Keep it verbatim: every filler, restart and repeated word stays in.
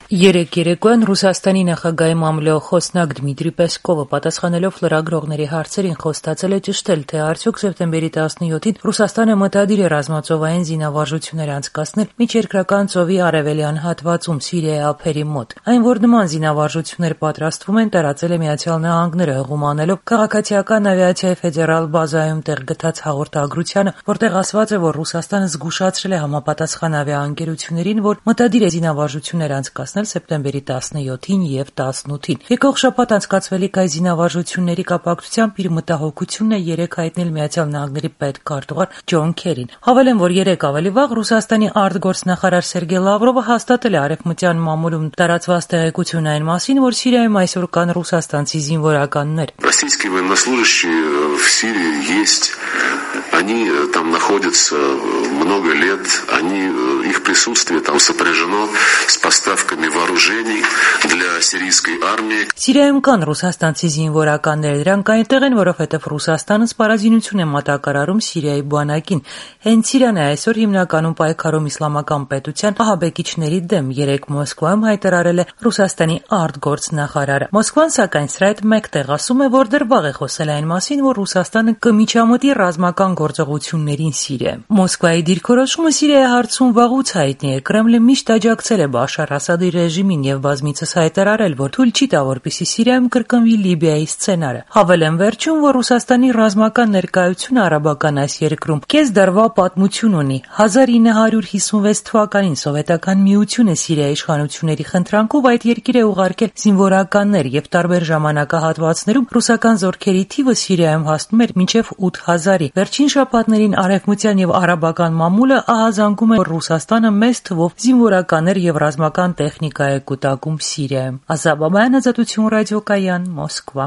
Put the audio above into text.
Երեկ երեկոյան Ռուսաստանի նախագահի մամլոյ խոսնակ Դմիտրի Պեսկովը պատասխանելով լրագրողների հարցերին խոստացել է ճշտել, թե արդյոք սեպտեմբերի տասնյոթին Ռուսաստանը մտադիր է ռազմածովային զինավարժություններ անցկացնել միջերկրական ծովի արևելյան հատվածում Սիրիայի ափերի մոտ։ Այն, որ նման զինավարժություններ պատրաստվում են, տարածել է Միացյալ Նահանգները, հղում անելով քաղաքացիական ավիացիայի ֆեդերալ բազայում տեղ գտած հաղորդագրությանը, որտեղ ասված է, որ Ռուսաստանը զգուշացրել է համապատասխան ավիաընկերություններին, որ մտադիր է զինավարժություններ անցկացնել սեպտեմբերի տասնյոթին և տասնութին։ Եկող շաբաթ անցկացվելիք այս զինավարժությունների կապակցությամբ իր մտահոգությունն է երեկ հայտնել Միացյալ Նահանգների պետքարտուղար Ջոն Քերին։ Հավելեմ, որ երեկ ավելի վաղ Ռուսաստանի արտգործնախարար Սերգեյ Լավրովը հաստատել է արևմտյան մամուլում տարածված տեղեկություն այն մասին, որ Սիրիայում այսօր կան ռուսաստանցի զինվորականներ։ Российские военнослужащие в Сирии есть. Они там находятся много лет, они, их присутствие там сопряжено с поставками вооружений для сирийской армии. Սիրիայում կան ռուսաստանցի զինվորականներ, դրանք այնտեղ են, որովհետև Ռուսաստանը սպառազինություն է մատակարարում Սիրիայի բանակին։ Հենց Սիրիան է այսօր հիմնականում պայքարում իսլամական պետության ահաբեկիչների դեմ, երեկ Մոսկվայում հայտարարել է Ռուսաստանի արտգործնախարարը։ Մոսկվան, սակայն, սրա հետ մեկտեղ ասում է, որ դեռ վաղ է խոսել այն մասին, որ Ռուսաստանը կմիջամտի ռազմական գործողություններին Սիրիայում։ Մոսկվայի դիրքորոշումը Սիրիայի հարցում վաղուց հայտնի է։ Կրեմլը միշտ աջակցել է Բաշար Ասադի ռեժիմին եւ բազմիցս հայտարարել, որ թույլ չի տա, որպեսզի Սիրիայում կրկնվի Լիբիայի սցենարը։ Հավելեմ վերջում, որ Ռուսաստանի ռազմական ներկայությունը արաբական այս երկրում կես դարվա պատմություն ունի։ հազար ինը հարյուր հիսունվեց թվականին Սովետական միությունը Սիրիայի իշխանությունների խնդրանքով այդ երկիր է ուղարկել զինվորականներ եւ տարբեր ժամանակահատվածներում ռուսական զորքերի թիվը Սիրիայում հասնում էր մինչեւ ութ հազարի։ Վերջին շաբաթներին արևմտյան եւ արաբական մամուլը ահազանգում է, որ Ռուսաստանը մեծ թվով զինվորականներ եւ ռազմական տեխնիկա է կուտակում Սիրիայում։ Ազատ Բաբայան, Ազատություն ռադիոկայան, Մոսկվա։